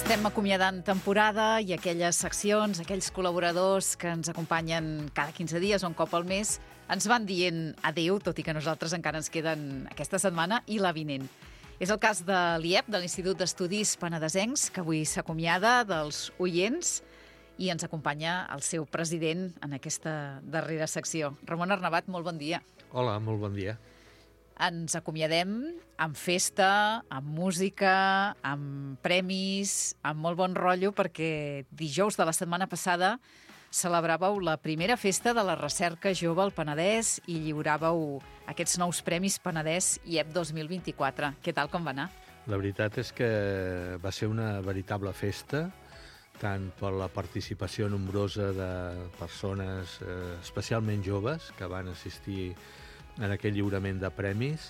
Estem acomiadant temporada i aquelles seccions, aquells col·laboradors que ens acompanyen cada 15 dies o un cop al mes, ens van dient adéu, tot i que nosaltres encara ens queden aquesta setmana i la vinent. És el cas de l'IEP, de l'Institut d'Estudis Penedesencs, que avui s'acomiada dels oients i ens acompanya el seu president en aquesta darrera secció. Ramon Arnabat, molt bon dia. Hola, molt bon dia. Ens acomiadem amb festa, amb música, amb premis, amb molt bon rotllo, perquè dijous de la setmana passada celebràveu la primera festa de la recerca jove al Penedès i lliuràveu aquests nous premis Penedès IEP 2024. Què tal, com va anar? La veritat és que va ser una veritable festa, tant per la participació nombrosa de persones, especialment joves, que van assistir en aquell lliurament de premis,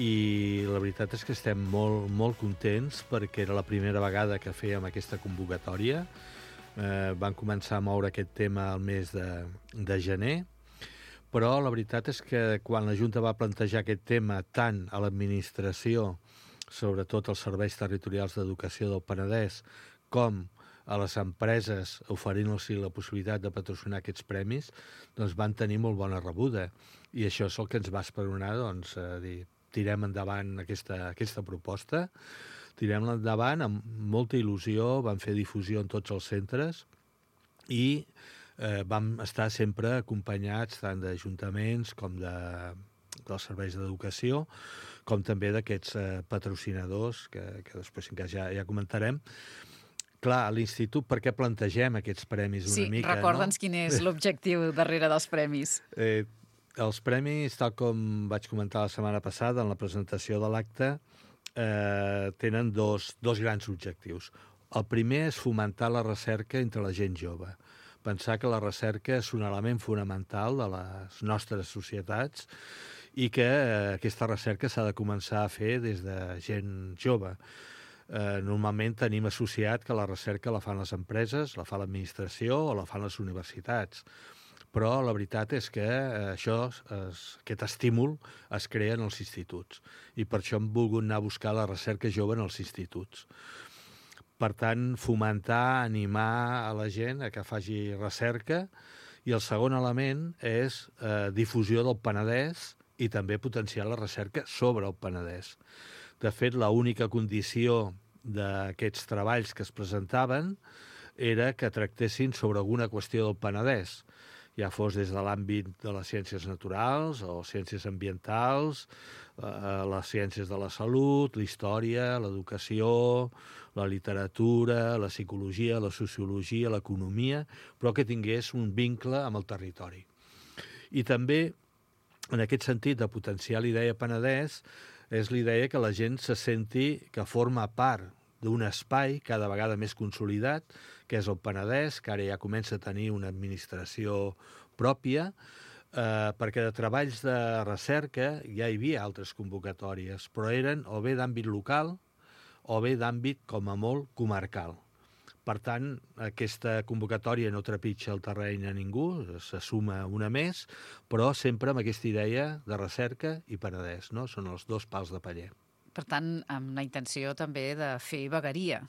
i la veritat és que estem molt, molt contents perquè era la primera vegada que fèiem aquesta convocatòria. Van començar a moure aquest tema al mes de gener, però la veritat és que quan la Junta va plantejar aquest tema tant a l'administració, sobretot als serveis territorials d'educació del Penedès, com a les empreses oferint-los la possibilitat de patrocinar aquests premis, doncs van tenir molt bona rebuda. I això és el que ens va esperonar, doncs, a dir, tirem endavant aquesta proposta, tirem-la endavant amb molta il·lusió, vam fer difusió en tots els centres i vam estar sempre acompanyats tant d'ajuntaments com dels serveis d'educació, com també d'aquests patrocinadors, que després ja comentarem. Clar, a l'Institut, per què plantegem aquests premis una mica? Sí, recorda'ns quin és l'objectiu darrere dels premis. Els premis, tal com vaig comentar la setmana passada en la presentació de l'acte, tenen dos grans objectius. El primer és fomentar la recerca entre la gent jove. Pensar que la recerca és un element fonamental de les nostres societats i que aquesta recerca s'ha de començar a fer des de gent jove. Normalment tenim associat que la recerca la fan les empreses, la fa l'administració o la fan les universitats. Però la veritat és que aquest estímul es crea en els instituts i per això hem volgut anar a buscar la recerca jove en els instituts. Per tant, fomentar, animar a la gent a que faci recerca, i el segon element és difusió del Penedès i també potenciar la recerca sobre el Penedès. De fet, l'única condició d'aquests treballs que es presentaven era que tractessin sobre alguna qüestió del Penedès, ja fos des de l'àmbit de les ciències naturals o ciències ambientals, les ciències de la salut, la història, l'educació, la literatura, la psicologia, la sociologia, l'economia, però que tingués un vincle amb el territori. I també, en aquest sentit, de potenciar l'idea Penedès, és l'idea que la gent se senti que forma part d'un espai cada vegada més consolidat, que és el Penedès, que ara ja comença a tenir una administració pròpia, perquè de treballs de recerca ja hi havia altres convocatòries, però eren o bé d'àmbit local o bé d'àmbit, com a molt, comarcal. Per tant, aquesta convocatòria no trepitja el terreny a ningú, se suma una més, però sempre amb aquesta idea de recerca i Penedès, no? Són els dos pals de paller. Per tant, amb la intenció també de fer vegueria.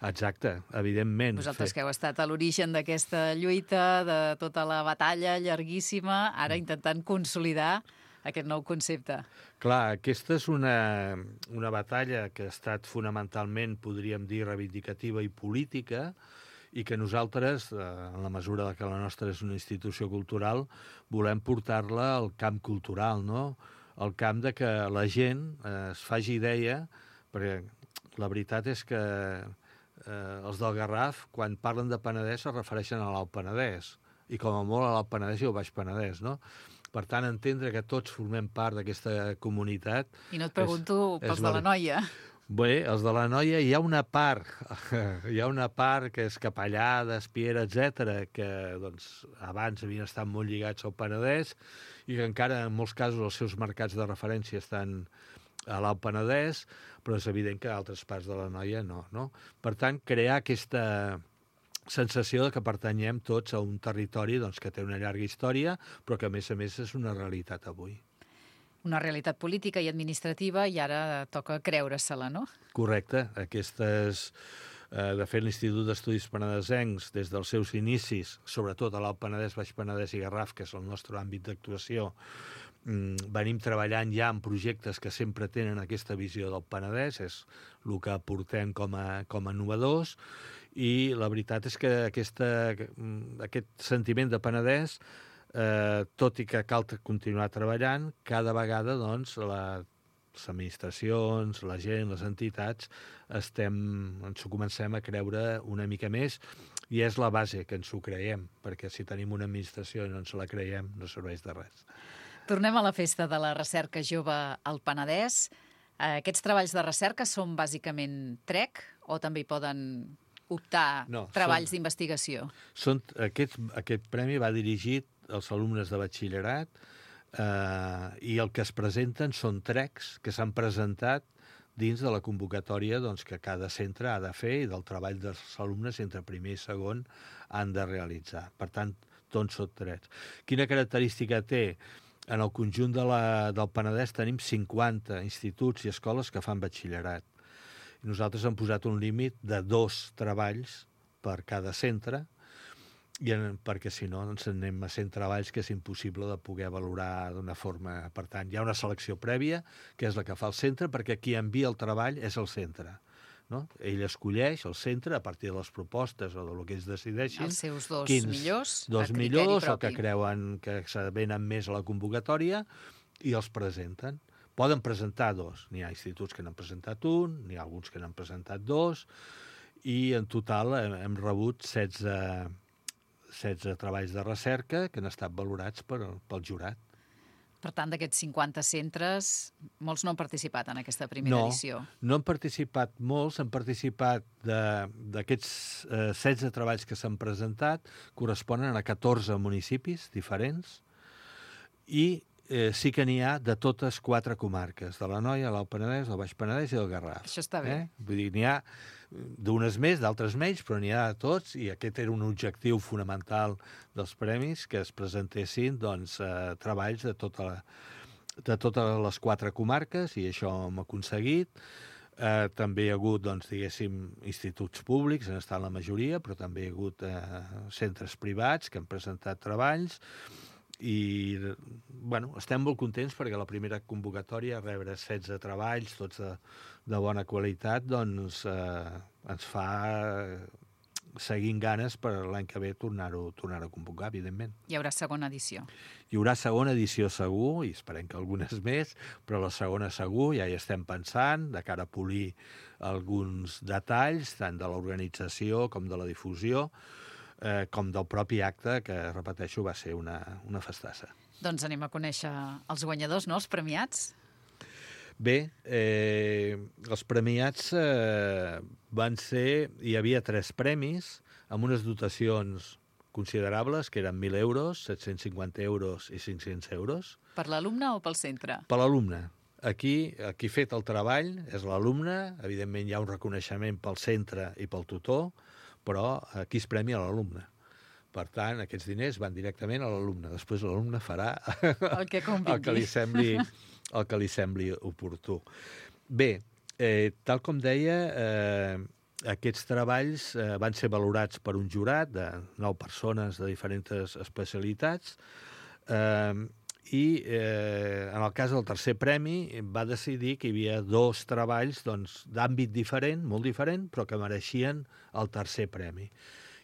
Exacte, evidentment. Vosaltres que heu estat a l'origen d'aquesta lluita, de tota la batalla llarguíssima, ara intentant consolidar aquest nou concepte. Clar, aquesta és una batalla que ha estat fonamentalment, podríem dir, reivindicativa i política, i que nosaltres, en la mesura que la nostra és una institució cultural, volem portar-la al camp cultural, no? Al camp de que la gent es faci idea, perquè la veritat és que els del Garraf, quan parlen de Penedès, es refereixen a l'Alt Penedès, i com a molt a l'Alt Penedès i al Baix Penedès, no? Per tant, entendre que tots formem part d'aquesta comunitat... I no et pregunto pels de l'Anoia. Bé, els de l'Anoia hi ha una part que és Capellades, Piera, etc., que doncs, abans havien estat molt lligats al Penedès i que encara en molts casos els seus mercats de referència estan a l'Alt Penedès, però és evident que altres parts de l'Anoia no. Per tant, crear aquesta sensació de que pertanyem tots a un territori que té una llarga història, però que a més és una realitat avui. Una realitat política i administrativa i ara toca creure-se-la, no? Correcte. Aquestes De fet, l'Institut d'Estudis Penedesencs, des dels seus inicis, sobretot a l'Alt Penedès, Baix Penedès i Garraf, que és el nostre àmbit d'actuació, venim treballant ja en projectes que sempre tenen aquesta visió del Penedès, és el que portem com a innovadors, i la veritat és que aquest sentiment de Penedès, tot i que cal continuar treballant, cada vegada doncs, les administracions, la gent, les entitats, ens ho comencem a creure una mica més, i és la base que ens ho creiem, perquè si tenim una administració i no ens la creiem, no serveix de res. Tornem a la festa de la recerca jove al Penedès. Aquests treballs de recerca són bàsicament TREC o també hi poden optar treballs d'investigació? Aquest premi va dirigit als alumnes de batxillerat, i el que es presenten són TRECs que s'han presentat dins de la convocatòria que cada centre ha de fer i del treball dels alumnes entre primer i segon han de realitzar. Per tant, tots són TRECs. Quina característica té? En el conjunt del Penedès tenim 50 instituts i escoles que fan batxillerat. Nosaltres hem posat un límit de 2 treballs per cada centre, perquè si no ens anem a 100 treballs que és impossible de poder valorar d'una forma. Per tant, hi ha una selecció prèvia, que és la que fa el centre, perquè qui envia el treball és el centre. No? Ell escolleix el centre a partir de les propostes o del que ells decideixin. Els seus dos millors, dos millors o que creuen que s'avenen més a la convocatòria i els presenten. Poden presentar 2. N'hi ha instituts que n'han presentat 1, n'hi ha alguns que n'han presentat 2, i en total hem rebut 16 treballs de recerca que han estat valorats pel jurat. Per tant, d'aquests 50 centres, molts no han participat en aquesta primera edició. No han participat molts, han participat d'aquests 16 treballs que s'han presentat, corresponen a 14 municipis diferents, i sí que n'hi ha de totes 4 comarques, de l'Anoia, l'Alt Penedès, el Baix Penedès i el Garraf. Això està bé. Vull dir, n'hi ha d'unes més, d'altres menys, però n'hi ha de tots, i aquest era un objectiu fonamental dels premis, que es presentessin treballs de totes les 4 comarques, i això hem aconseguit. També hi ha hagut, diguéssim, instituts públics, han estat la majoria, però també hi ha hagut centres privats que han presentat treballs, i estem molt contents perquè la primera convocatòria, rebre 16 treballs, tots de bona qualitat, ens fa seguir amb ganes per l'any que ve tornar-ho a convocar, evidentment. Hi haurà segona edició. Hi haurà segona edició segur, i esperem que algunes més, però la segona segur, ja hi estem pensant, de cara a polir alguns detalls, tant de l'organització com de la difusió, com del propi acte, que, repeteixo, va ser una festassa. Doncs anem a conèixer els guanyadors, no?, els premiats. Bé, els premiats van ser... Hi havia 3 premis, amb unes dotacions considerables, que eren 1.000 euros, 750 euros i 500 euros. Per l'alumne o pel centre? Per l'alumne. Aquí ha fet el treball és l'alumne, evidentment hi ha un reconeixement pel centre i pel tutor, però aquí es premia l'alumne. Per tant, aquests diners van directament a l'alumne. Després l'alumne farà el que li sembli oportú. Bé, tal com deia, aquests treballs van ser valorats per un jurat de 9 persones de diferents especialitats, i en el cas del tercer premi va decidir que hi havia 2 treballs d'àmbit diferent, molt diferent, però que mereixien el tercer premi.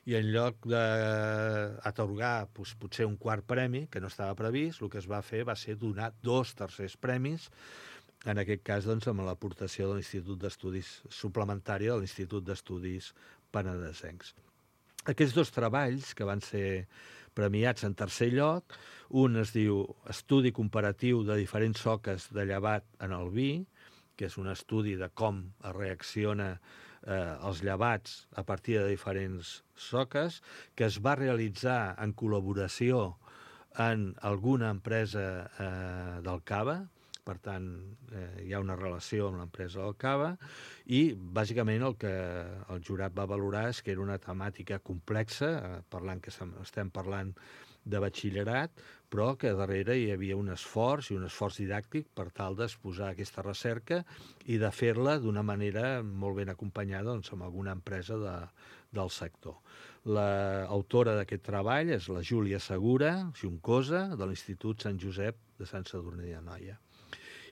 I en lloc d'atorgar potser un quart premi, que no estava previst, el que es va fer va ser donar 2 tercers premis, en aquest cas amb l'aportació de l'Institut d'Estudis suplementària de l'Institut d'Estudis Penedesencs. Aquests 2 treballs que van ser premiats en tercer lloc, un es diu Estudi comparatiu de diferents soques de llevat en el vi, que és un estudi de com es reacciona els llevats a partir de diferents soques, que es va realitzar en col·laboració en alguna empresa del Cava. Per tant, hi ha una relació amb l'empresa del Cava, i bàsicament el que el jurat va valorar és que era una temàtica complexa, estem parlant de batxillerat, però que darrere hi havia un esforç didàctic per tal d'exposar aquesta recerca i de fer-la d'una manera molt ben acompanyada doncs, amb alguna empresa del sector. L'autora d'aquest treball és la Júlia Segura, Juncosa, de l'Institut Sant Josep de Sant Sadurní d'Anoia.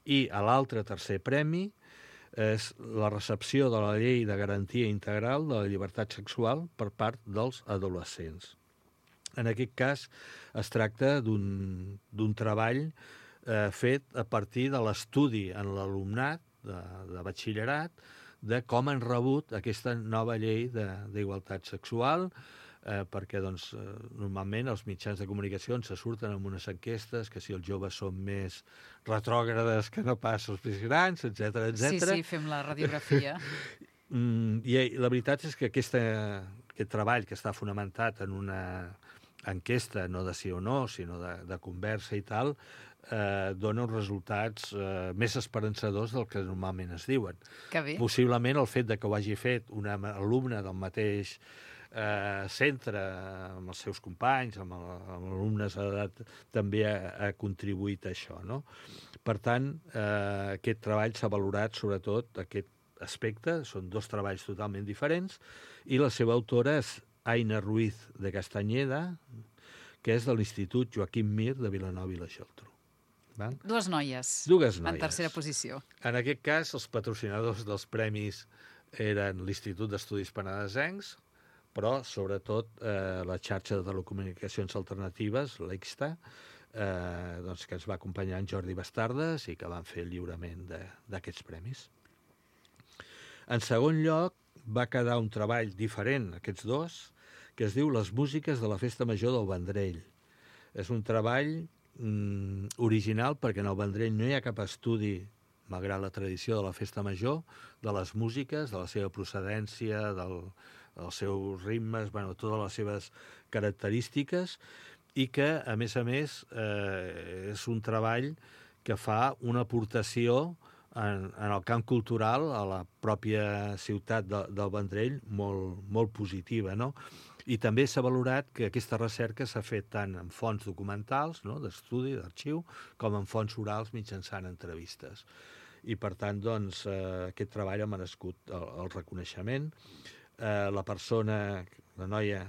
I a l'altre tercer premi és la recepció de la Llei de Garantia Integral de la Llibertat Sexual per part dels adolescents. En aquest cas es tracta d'un treball fet a partir de l'estudi en l'alumnat de batxillerat de com han rebut aquesta nova llei d'igualtat sexual, perquè doncs, normalment els mitjans de comunicació se surten amb unes enquestes que si els joves són més retrògrades que no pas els més grans, etc. Sí, fem la radiografia. I la veritat és que aquest treball, que està fonamentat en una enquesta, no de sí o no, sinó de conversa i tal, dona uns resultats més esperançadors del que normalment es diuen. Que bé. Possiblement el fet de que ho hagi fet una alumna del mateix centre, amb els seus companys, amb alumnes d'edat, també ha contribuït a això, no? Per tant, aquest treball s'ha valorat sobretot aquest aspecte, són dos treballs totalment diferents, i la seva autora és Aina Ruiz de Castañeda, que és de l'Institut Joaquim Mir de Vilanova i la Geltrú. Dues noies. Dues noies. En tercera posició. En aquest cas, els patrocinadors dels premis eren l'Institut d'Estudis Penedesencs, però, sobretot, la xarxa de telecomunicacions alternatives, l'EXTA, doncs, que ens va acompanyar en Jordi Bastardes i que van fer el lliurament d'aquests premis. En segon lloc, va quedar un treball diferent, aquests dos, que es diu Les músiques de la Festa Major del Vendrell. És un treball original perquè en el Vendrell no hi ha cap estudi, malgrat la tradició de la Festa Major, de les músiques, de la seva procedència, dels seus ritmes, totes les seves característiques, i que, a més, és un treball que fa una aportació en el camp cultural a la pròpia ciutat del Vendrell molt positiva, no? I també s'ha valorat que aquesta recerca s'ha fet tant en fonts documentals, no?, d'estudi, d'arxiu, com en fonts orals mitjançant entrevistes. I, per tant, doncs, aquest treball ha merescut el reconeixement. La persona, la noia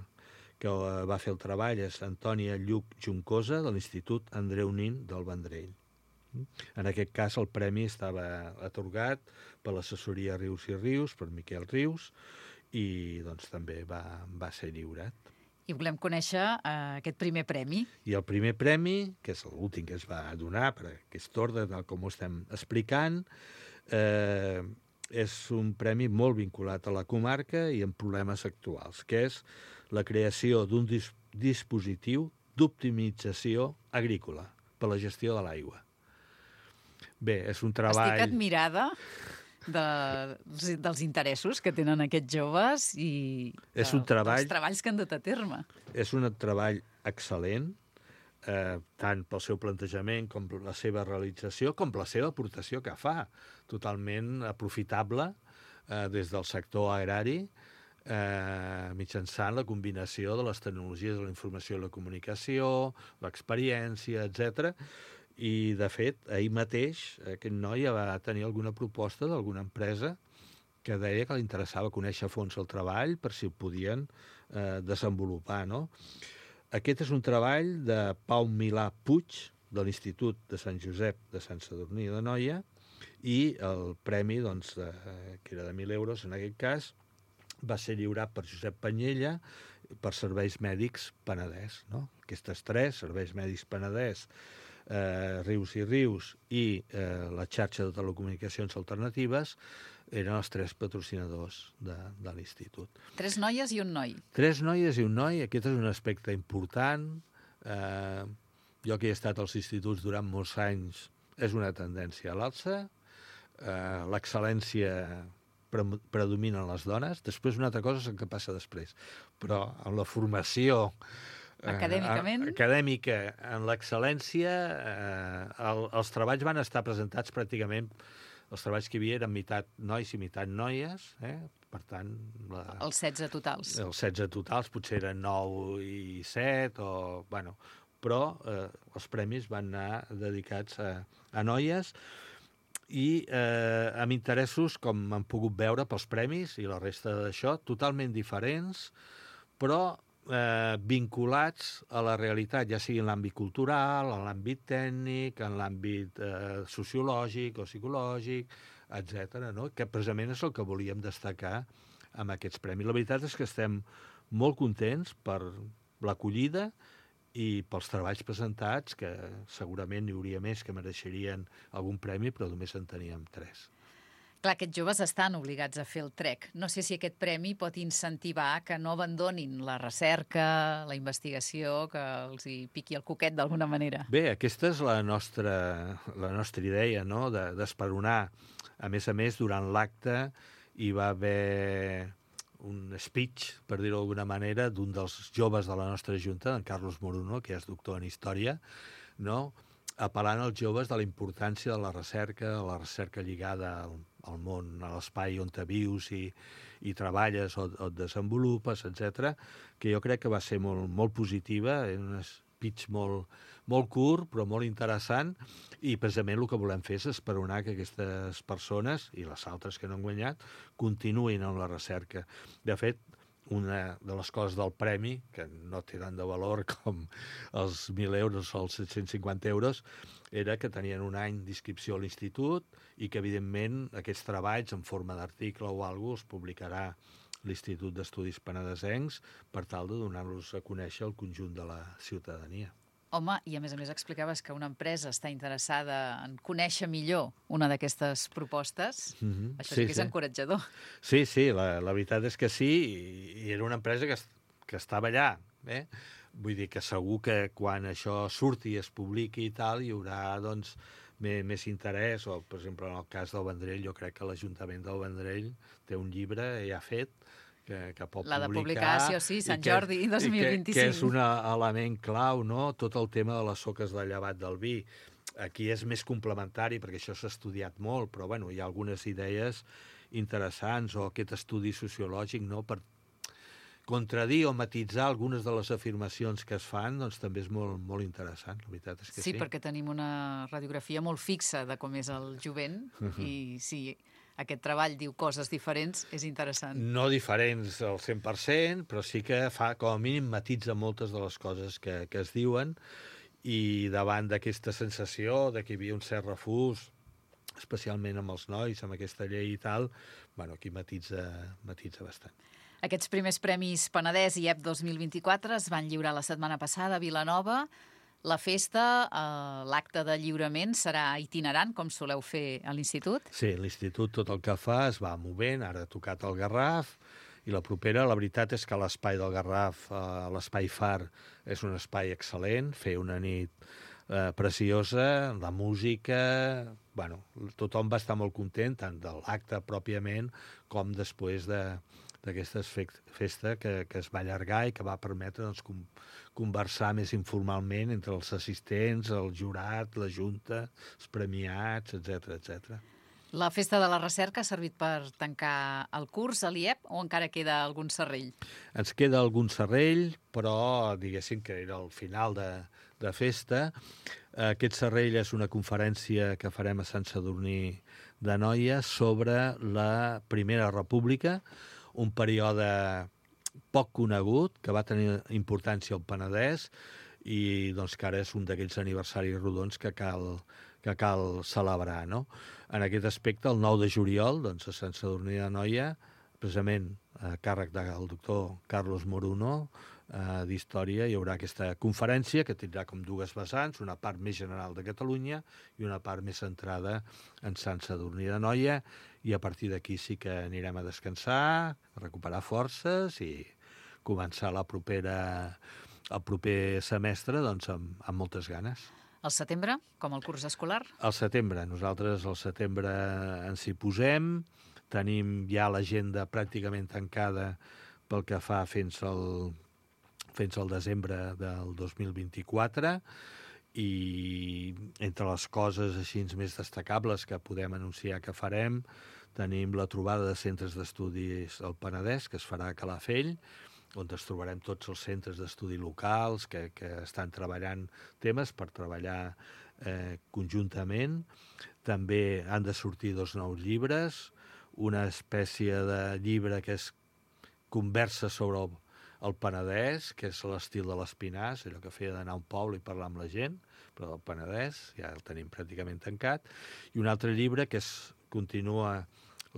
que va fer el treball és Antònia Lluc Juncosa, de l'Institut Andreu Nin del Vendrell. En aquest cas, el premi estava atorgat per l'assessoria Rius i Rius, per Miquel Rius, i doncs també va ser lliurat. I volem conèixer aquest primer premi. I el primer premi, que és l'últim que es va donar per aquest ordre, com ho estem explicant, és un premi molt vinculat a la comarca i amb problemes actuals, que és la creació d'un dispositiu d'optimització agrícola per la gestió de l'aigua. Bé, és un treball... Estic admirada dels interessos que tenen aquests joves i dels treballs que han dut a terme. És un treball excel·lent, tant pel seu plantejament com per la seva realització, com per la seva aportació que fa, totalment aprofitable des del sector agrari, mitjançant la combinació de les tecnologies de la informació i la comunicació, l'experiència, etc. I, de fet, ahir mateix aquest noi va tenir alguna proposta d'alguna empresa que deia que li interessava conèixer a fons el treball per si ho podien desenvolupar, no? Aquest és un treball de Pau Milà Puig, de l'Institut de Sant Josep de Sant Sadurní d'Anoia, i el premi, doncs, que era de 1.000 euros en aquest cas, va ser lliurat per Josep Panyella per Serveis Mèdics Penedès, no? Aquestes tres, Serveis Mèdics Penedès, Rius i Rius i la xarxa de telecomunicacions alternatives eren els tres patrocinadors de l'institut. 3 noies i un noi. 3 noies i un noi, aquest és un aspecte important. Jo que he estat als instituts durant molts anys, és una tendència a l'alça. L'excel·lència predomina en les dones. Després una altra cosa és el que passa després. Però en la formació acadèmica, en l'excel·lència, els treballs van estar presentats pràcticament els treballs que hi havia eren meitat nois i meitat noies, per tant... Els 16 totals. Els 16 totals, potser eren 9 i 7, o... Bueno, però els premis van anar dedicats a noies i amb interessos, com han pogut veure pels premis i la resta d'això, totalment diferents, però vinculats a la realitat, ja sigui en l'àmbit cultural, en l'àmbit tècnic, en l'àmbit sociològic o psicològic, etc. No? Que precisament és el que volíem destacar amb aquests premis. La veritat és que estem molt contents per l'acollida i pels treballs presentats, que segurament n'hi hauria més que mereixerien algun premi, però només en teníem 3. Clar, aquests joves estan obligats a fer el trek. No sé si aquest premi pot incentivar que no abandonin la recerca, la investigació, que els hi piqui el coquet d'alguna manera. Bé, aquesta és la nostra idea, no?, d'esperonar. A més, durant l'acte hi va haver un speech, per dir-ho d'alguna manera, d'un dels joves de la nostra junta, en Carlos Moruno, que és doctor en Història, no?, apel·lant als joves de la importància de la recerca lligada al món, a l'espai on te vius i treballes o et desenvolupes, etc., que jo crec que va ser molt positiva, un speech molt curt, però molt interessant, i precisament el que volem fer és esperonar que aquestes persones, i les altres que no han guanyat, continuïn en la recerca. De fet, una de les coses del premi, que no té tant de valor com els 1.000 euros o els 750 euros, era que tenien un any d'inscripció a l'institut i que, evidentment, aquests treballs en forma d'article o alguna cosa els publicarà l'Institut d'Estudis Penedesencs per tal de donar-los a conèixer al conjunt de la ciutadania. Home, i a més explicaves que una empresa està interessada en conèixer millor una d'aquestes propostes. Això sí que és encoratjador. Sí, la veritat és que sí, i era una empresa que estava allà. Vull dir que segur que quan això surti i es publiqui i tal, hi haurà, doncs, més interès, o, per exemple, en el cas del Vendrell, jo crec que l'Ajuntament del Vendrell té un llibre ja fet, que pot la de publicar, sí, Sant Jordi 2025. Que és un element clau, no?, tot el tema de les soques de llevat del vi. Aquí és més complementari, perquè això s'ha estudiat molt, però bueno, hi ha algunes idees interessants, o aquest estudi sociològic, no?, per contradir o matitzar algunes de les afirmacions que es fan, doncs també és molt interessant, la veritat és que sí. Sí, perquè tenim una radiografia molt fixa de com és el jovent, i sí, aquest treball diu coses diferents, és interessant. No diferents al 100%, però sí que fa, com a mínim, matitza moltes de les coses que es diuen, i davant d'aquesta sensació de que hi havia un cert refús, especialment amb els nois, amb aquesta llei i tal, bueno, aquí matitza bastant. Aquests primers Premis Penedès IEP 2024 es van lliurar la setmana passada a Vilanova. La festa, l'acte de lliurament, serà itinerant, com soleu fer a l'Institut? Sí, l'Institut tot el que fa es va movent, ara ha tocat el Garraf, i la propera, la veritat és que l'espai del Garraf, l'espai Far, és un espai excel·lent, fer una nit preciosa, la música... Bueno, tothom va estar molt content, tant de l'acte pròpiament com després d'aquesta festa que es va allargar i que va permetre, doncs, conversar més informalment entre els assistents, el jurat, la junta, els premiats, etc. La Festa de la Recerca ha servit per tancar el curs a l'IEP o encara queda algun serrell? Ens queda algun serrell, però diguéssim que era el final de festa. Aquest serrell és una conferència que farem a Sant Sadurní d'Anoia sobre la Primera República, un període poc conegut, que va tenir importància al Penedès i doncs, que ara és un d'aquells aniversaris rodons que cal celebrar, no? En aquest aspecte, el 9 de juliol, doncs, a Sant Sadurní d'Anoia, precisament a càrrec del doctor Carlos Moruno, d'Història, hi haurà aquesta conferència que tindrà com dues vessants, una part més general de Catalunya i una part més centrada en Sant Sadurní d'Anoia, i a partir d'aquí sí que anirem a descansar, a recuperar forces i començar el proper semestre, doncs, amb moltes ganes. Al setembre, com el curs escolar? Al setembre. Nosaltres al setembre ens hi posem, tenim ja l'agenda pràcticament tancada pel que fa fins al desembre del 2024, I entre les coses així més destacables que podem anunciar que farem, tenim la trobada de centres d'estudis al Penedès, que es farà a Calafell, on es trobarem tots els centres d'estudi locals que estan treballant temes per treballar conjuntament. També han de sortir 2 nous llibres, una espècie de llibre que és conversa sobre el Penedès, que és l'estil de l'Espinàs, allò que feia d'anar a un poble i parlar amb la gent, però del Penedès ja el tenim pràcticament tancat, i un altre llibre que continua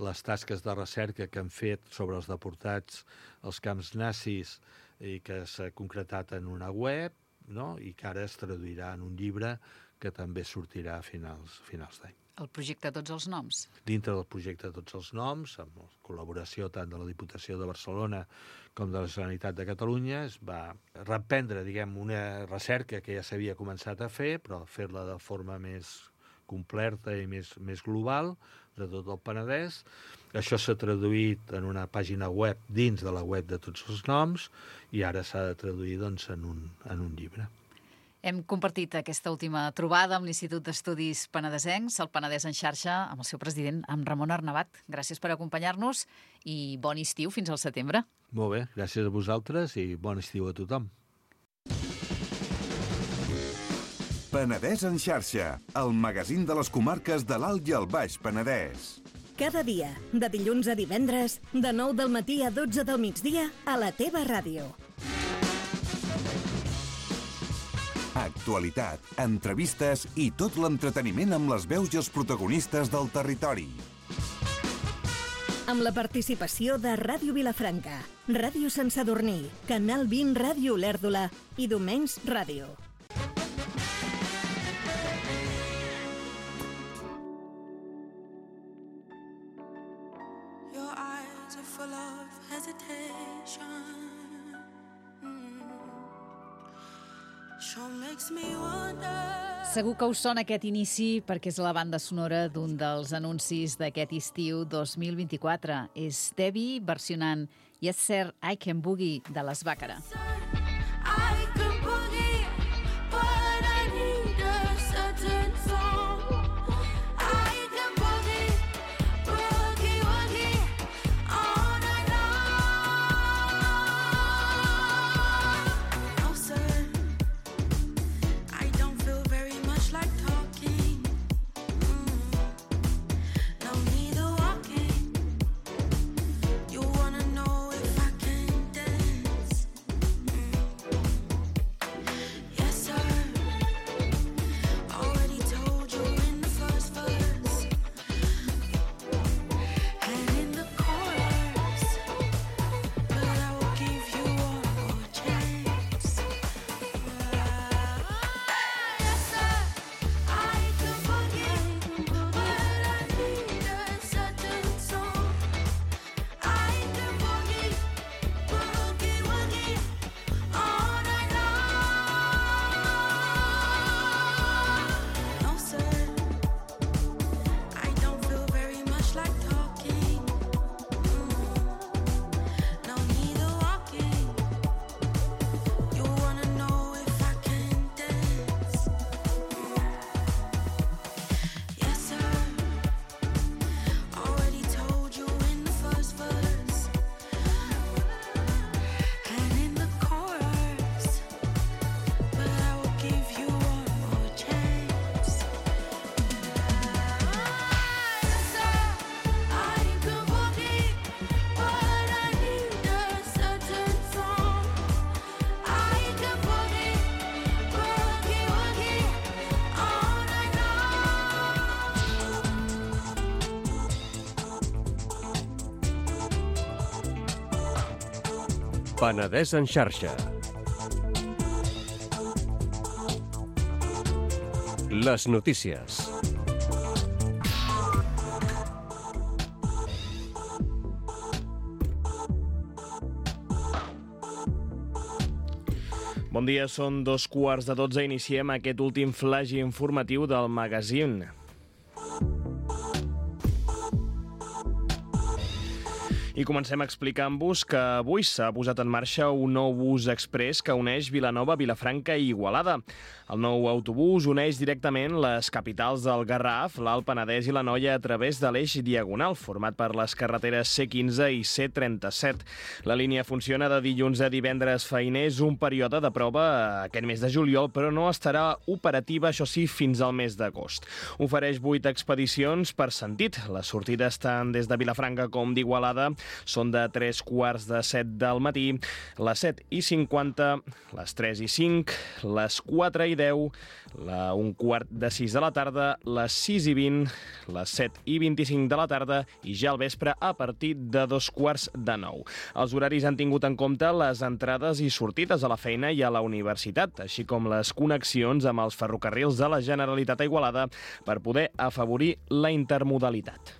les tasques de recerca que han fet sobre els deportats als camps nazis i que s'ha concretat en una web, no? I que ara es traduirà en un llibre que també sortirà a finals d'any. El projecte Tots els Noms. Dintre del projecte Tots els Noms, amb la col·laboració tant de la Diputació de Barcelona com de la Generalitat de Catalunya, es va reprendre, una recerca que ja s'havia començat a fer, però fer-la de forma més completa i més global de tot el Penedès. Això s'ha traduït en una pàgina web dins de la web de Tots els Noms i ara s'ha de traduir en un llibre. Hem compartit aquesta última trobada amb l'Institut d'Estudis Penedesencs, el Penedès en xarxa, amb el seu president, amb Ramon Arnabat. Gràcies per acompanyar-nos i bon estiu fins al setembre. Molt bé, gràcies a vosaltres i bon estiu a tothom. Penedès en xarxa, el magazín de les comarques de l'Alt i el Baix Penedès. Cada dia, de dilluns a divendres, de 9 del matí a 12 del migdia, a la teva ràdio. Actualitat, entrevistes i tot l'entreteniment amb les veus i els protagonistes del territori. Amb la participació de Ràdio Vilafranca, Ràdio Sant Sadurní, Canal 20 Ràdio Olèrdola i Domenys Ràdio. Your eyes are full of hesitation. Segur que us sona aquest inici perquè és la banda sonora d'un dels anuncis d'aquest estiu 2024. És Debbie versionant Yes Sir, I Can Boogie de les Bàcara. Penedès en xarxa. Les notícies. Bon dia, són 2:15. Iniciem aquest últim flash informatiu del magazín. I comencem explicant-vos que avui s'ha posat en marxa un nou bus express que uneix Vilanova, Vilafranca i Igualada. El nou autobús uneix directament les capitals del Garraf, l'Alt Penedès i l'Anoia a través de l'eix diagonal, format per les carreteres C15 i C37. La línia funciona de dilluns a divendres feiners, un període de prova aquest mes de juliol, però no estarà operativa, això sí, fins al mes d'agost. Ofereix 8 expedicions per sentit. Les sortides tant des de Vilafranca com d'Igualada són de 3:45 del matí, les 7:50, les 3:05, les 4:10, la 5:45 de la tarda, les 6:20, les 7:25 de la tarda i ja al vespre a partir de 8:45. Els horaris han tingut en compte les entrades i sortides a la feina i a la universitat, així com les connexions amb els ferrocarrils de la Generalitat a Igualada per poder afavorir la intermodalitat.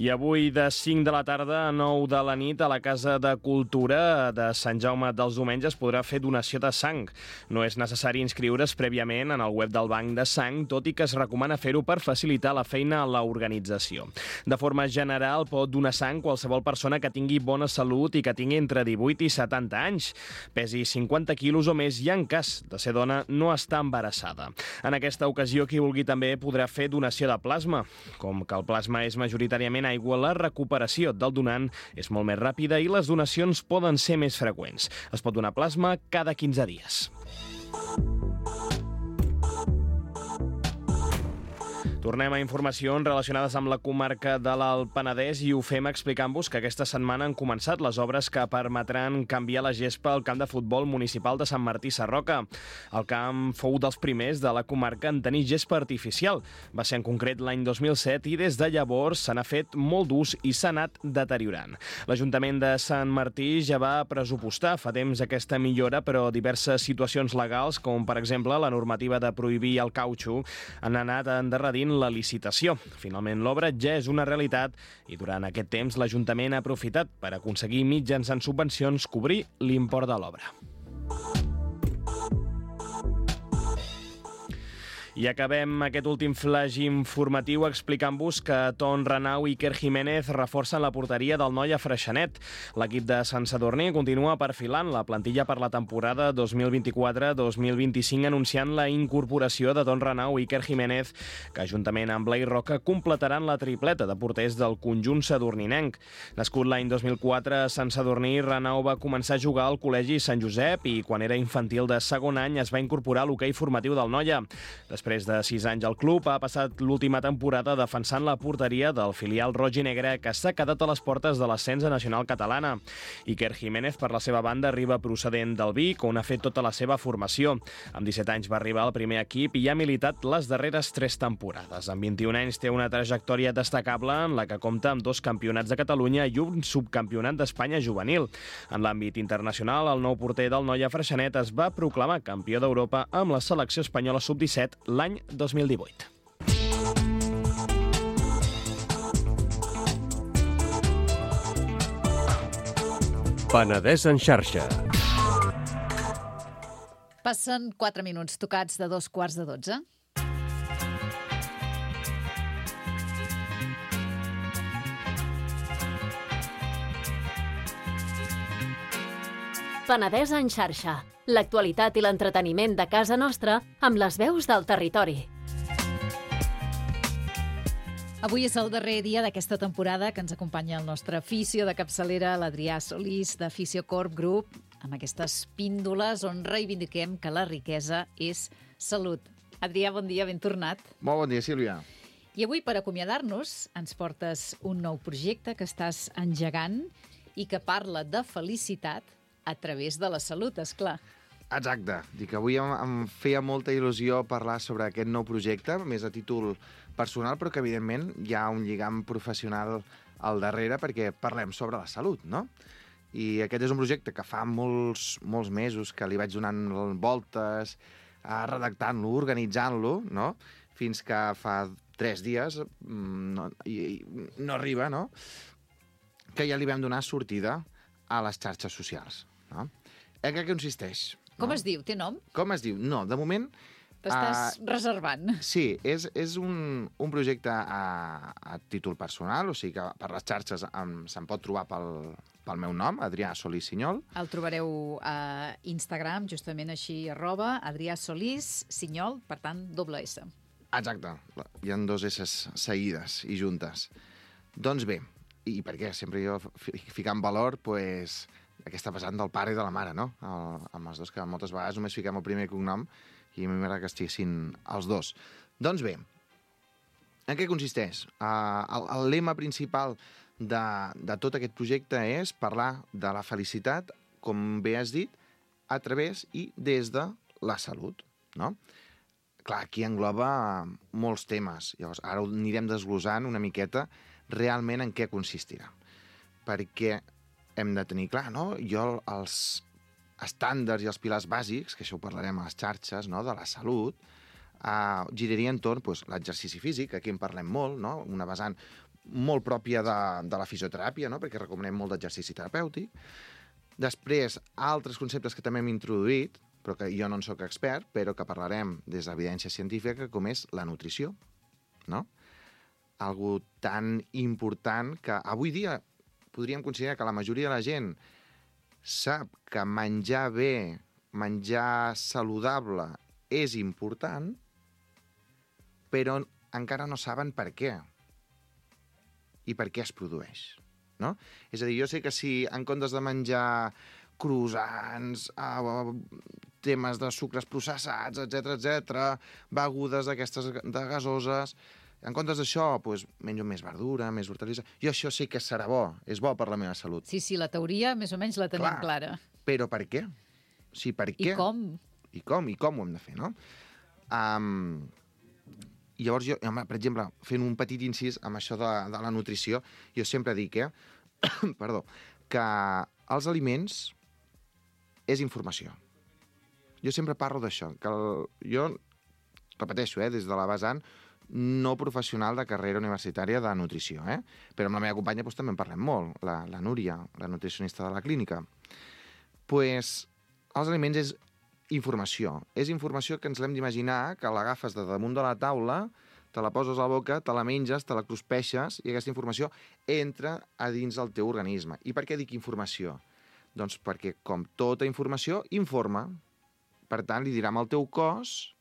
I avui de 5 de la tarda a 9 de la nit a la Casa de Cultura de Sant Jaume dels Domenys es podrà fer donació de sang. No és necessari inscriure's prèviament en el web del Banc de Sang, tot i que es recomana fer-ho per facilitar la feina a l'organització. De forma general, pot donar sang qualsevol persona que tingui bona salut i que tingui entre 18 i 70 anys, pesi 50 quilos o més i, en cas de ser dona, no està embarassada. En aquesta ocasió, qui vulgui també podrà fer donació de plasma. Com que el plasma és majoritàriament aigua, la recuperació del donant és molt més ràpida i les donacions poden ser més freqüents. Es pot donar plasma cada 15 dies. Tornem a informacions relacionades amb la comarca de l'Alt Penedès i ho fem explicant-vos que aquesta setmana han començat les obres que permetran canviar la gespa al camp de futbol municipal de Sant Martí Sarroca. El camp fou dels primers de la comarca en tenir gespa artificial. Va ser en concret l'any 2007 i des de llavors se n'ha fet molt d'ús i s'ha anat deteriorant. L'Ajuntament de Sant Martí ja va pressupostar fa temps aquesta millora, però diverses situacions legals, com per exemple la normativa de prohibir el cautxú, han anat endarrerint la licitació. Finalment, l'obra ja és una realitat i durant aquest temps l'Ajuntament ha aprofitat per aconseguir mitjançant subvencions cobrir l'import de l'obra. I acabem aquest últim flash informatiu explicant-vos que Ton Renau i Iker Jiménez reforcen la porteria del Noia Freixenet. L'equip de Sant Sadurní continua perfilant la plantilla per la temporada 2024-2025 anunciant la incorporació de Ton Renau i Iker Jiménez, que juntament amb Blai Roca completaran la tripleta de porters del conjunt sadurninenc. Nascut l'any 2004 a Sant Sadurní, Renau va començar a jugar al Col·legi Sant Josep i quan era infantil de segon any es va incorporar a l'hoquei formatiu del Noia. Després de 6 anys al club, ha passat l'última temporada defensant la porteria del filial roig i negre que s'ha quedat a les portes de l'ascens nacional catalana. Iker Jiménez, per la seva banda, arriba procedent del Vic, on ha fet tota la seva formació. Amb 17 anys va arribar al primer equip i ha militat les darreres 3 temporades. Amb 21 anys té una trajectòria destacable en la que compta amb 2 campionats de Catalunya i un subcampionat d'Espanya juvenil. En l'àmbit internacional, el nou porter del Noia Freixenet es va proclamar campió d'Europa amb la selecció espanyola sub-17 l'any 2018. Penedès en xarxa. Passen 4 minuts tocats de 2:15. Penedès en xarxa. L'actualitat i l'entreteniment de casa nostra amb les veus del territori. Avui és el darrer dia d'aquesta temporada que ens acompanya el nostre fisio de capçalera, l'Adrià Solís, de Fisiocorp Group, amb aquestes píndoles on reivindiquem que la riquesa és salut. Adrià, bon dia, ben tornat. Molt bon dia, Sílvia. I avui, per acomiadar-nos, ens portes un nou projecte que estàs engegant i que parla de felicitat a través de la salut, esclar. Exacte. Dic, avui em feia molta il·lusió parlar sobre aquest nou projecte, més a títol personal, però que, evidentment, hi ha un lligam professional al darrere perquè parlem sobre la salut, no? I aquest és un projecte que fa molts mesos que li vaig donant voltes, redactant-lo, organitzant-lo, no? Fins que fa 3 dies no arriba, no? Que ja li vam donar sortida a les xarxes socials, no? En què consisteix? Com es diu? Té nom? Com es diu? No, de moment T'estàs reservant. Sí, és un projecte a títol personal, o sigui que per les xarxes se'n pot trobar pel meu nom, Adrià Solís Sinyol. El trobareu a Instagram, justament així, @Adrià Solís Sinyol, per tant, doble S. Exacte, hi ha 2 S seguides i juntes. Doncs bé, i per què? Sempre jo ficar en valor pues, aquesta vessant del pare i de la mare, no? Amb els dos, que moltes vegades només fiquem el primer cognom i a mi m'agrada que estiguessin els dos. Doncs bé, en què consisteix? El lema principal de tot aquest projecte és parlar de la felicitat, com bé has dit, a través i des de la salut, no? Clar, aquí engloba molts temes. Llavors, ara ho anirem desglossant una miqueta realment en què consistirà. Perquè hem de tenir clar, no? Jo els estàndards i els pilars bàsics, que això ho parlarem a les xarxes, no?, de la salut, giraria entorn l'exercici físic, aquí en parlem molt, no?, una vessant molt pròpia de la fisioteràpia, no?, perquè recomanem molt d'exercici terapèutic. Després, altres conceptes que també hem introduït, però que jo no en soc expert, però que parlarem des de l'evidència científica, com és la nutrició, no? Algo tan important que avui dia podríem considerar que la majoria de la gent sap que menjar bé, menjar saludable és important, però encara no saben per què i per què es produeix, no? És a dir, jo sé que si en comptes de menjar croissants, temes de sucres processats, etc, begudes d'aquestes de gasoses, en comptes d'això, doncs, menjo més verdura, més hortalissa. Jo això sí que serà bo, és bo per la meva salut. Sí, la teoria més o menys la tenim clara. Però per què? O sigui, per què? I com? I com ho hem de fer, no? Llavors, jo, per exemple, fent un petit incís amb això de la nutrició, jo sempre dic perdó, que els aliments és informació. Jo sempre parlo d'això, que jo repeteixo, des de la vessant no professional de carrera universitària de nutrició, però amb la meva companya també en parlem molt, la Núria, la nutricionista de la clínica. Doncs els aliments és informació. És informació que ens l'hem d'imaginar, que l'agafes de damunt de la taula, te la poses a la boca, te la menges, te la cruspeixes, i aquesta informació entra a dins del teu organisme. I per què dic informació? Doncs perquè, com tota informació, informa. Per tant, li dirà al teu cos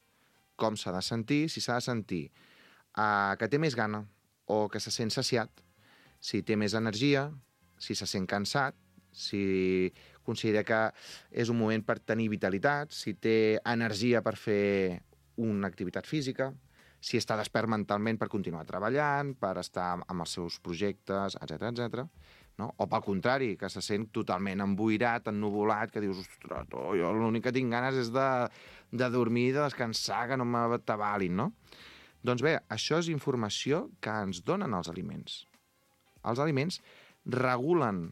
com s'ha de sentir, si s'ha de sentir que té més gana o que se sent saciat, si té més energia, si se sent cansat, si considera que és un moment per tenir vitalitat, si té energia per fer una activitat física, si està despert mentalment per continuar treballant, per estar amb els seus projectes, etc. No? O pel contrari, que se sent totalment emboirat, ennuvolat, que dius, ostres, jo l'únic que tinc ganes és de dormir, de descansar, que no m'atabalin, no? Doncs bé, això és informació que ens donen els aliments. Els aliments regulen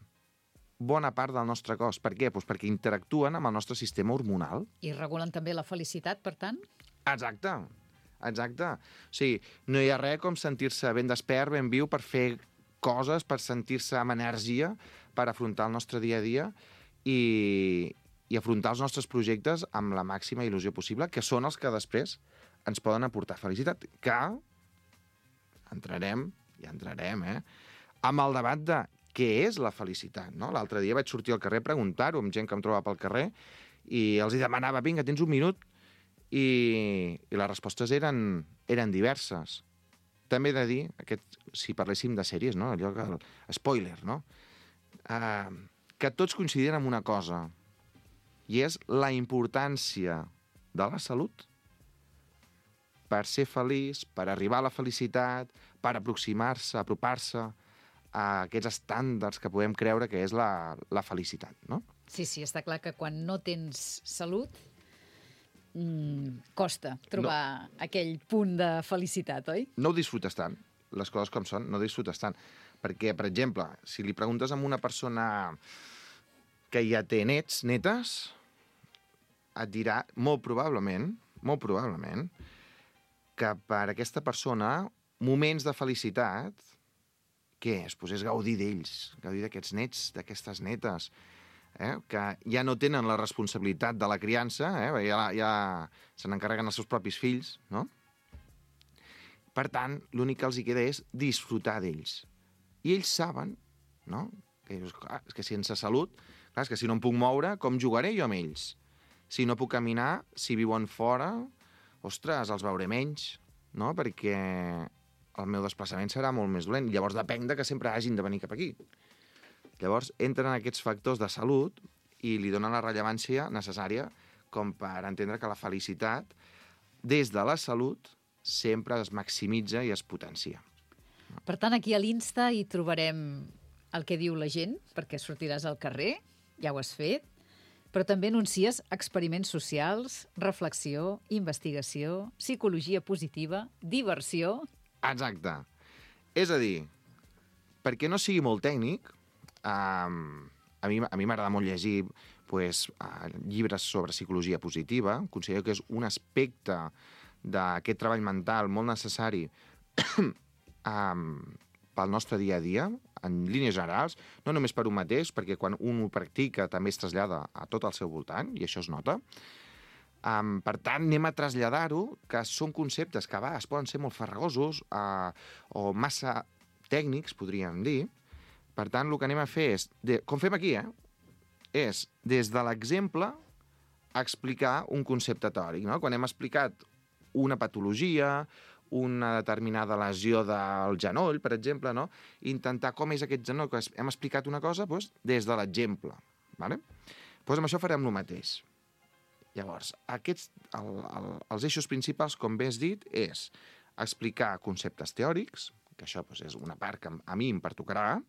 bona part del nostre cos. Per què? Doncs perquè interactuen amb el nostre sistema hormonal. I regulen també la felicitat, per tant? Exacte. O sigui, no hi ha res com sentir-se ben despert, ben viu, per fer coses, per sentir-se amb energia, per afrontar el nostre dia a dia i afrontar els nostres projectes amb la màxima il·lusió possible, que són els que després ens poden aportar felicitat. Que entrarem, amb el debat de què és la felicitat, no? L'altre dia vaig sortir al carrer a preguntar-ho amb gent que em trobava pel carrer i els demanava, vinga, tens un minut? I les respostes eren diverses. També he de dir, si parléssim de sèries, no? Allò que spoiler, no? Que tots coincidien en una cosa, i és la importància de la salut per ser feliç, per arribar a la felicitat, per aproximar-se, apropar-se a aquests estàndards que podem creure que és la felicitat, no? Sí, està clar que quan no tens salut costa trobar aquell punt de felicitat, oi? No ho disfrutes tant, les coses com són, no ho disfrutes tant. Perquè, per exemple, si li preguntes a una persona que ja té netes, et dirà molt probablement, que per aquesta persona moments de felicitat, què és? Doncs és gaudir d'ells, gaudir d'aquests nets, d'aquestes netes, que ja no tenen la responsabilitat de la criança, ja se n'encarreguen els seus propis fills, no? Per tant, l'únic que els hi queda és disfrutar d'ells. I ells saben, no?, és que sense salut, clar, és que si no em puc moure, com jugaré jo amb ells? Si no puc caminar, si viuen fora, ostres, els veuré menys, no?, perquè el meu desplaçament serà molt més dolent. Llavors depèn de que sempre hagin de venir cap aquí. Llavors entren aquests factors de salut i li donen la rellevància necessària com per entendre que la felicitat, des de la salut, sempre es maximitza i es potencia. Per tant, aquí a l'Insta hi trobarem el que diu la gent, perquè sortiràs al carrer, ja ho has fet, però també anuncies experiments socials, reflexió, investigació, psicologia positiva, diversió... Exacte. És a dir, perquè no sigui molt tècnic, a mi m'agrada molt llegir llibres sobre psicologia positiva. Considero que és un aspecte d'aquest treball mental molt necessari pel nostre dia a dia, en línies generals, no només per un mateix, perquè quan un ho practica també es trasllada a tot el seu voltant, i això es nota. Per tant, anem a traslladar-ho, que són conceptes que a vegades poden ser molt farragosos o massa tècnics, podríem dir. Per tant, el que anem a fer és, com fem aquí, és des de l'exemple explicar un concepte teòric. No? Quan hem explicat una patologia, una determinada lesió del genoll, per exemple, no? Intentar com és aquest genoll, que hem explicat una cosa doncs, des de l'exemple. Vale? Doncs amb això farem el mateix. Llavors, els eixos principals, com bé has dit, és explicar conceptes teòrics, que això doncs, és una part que a mi em pertocarà,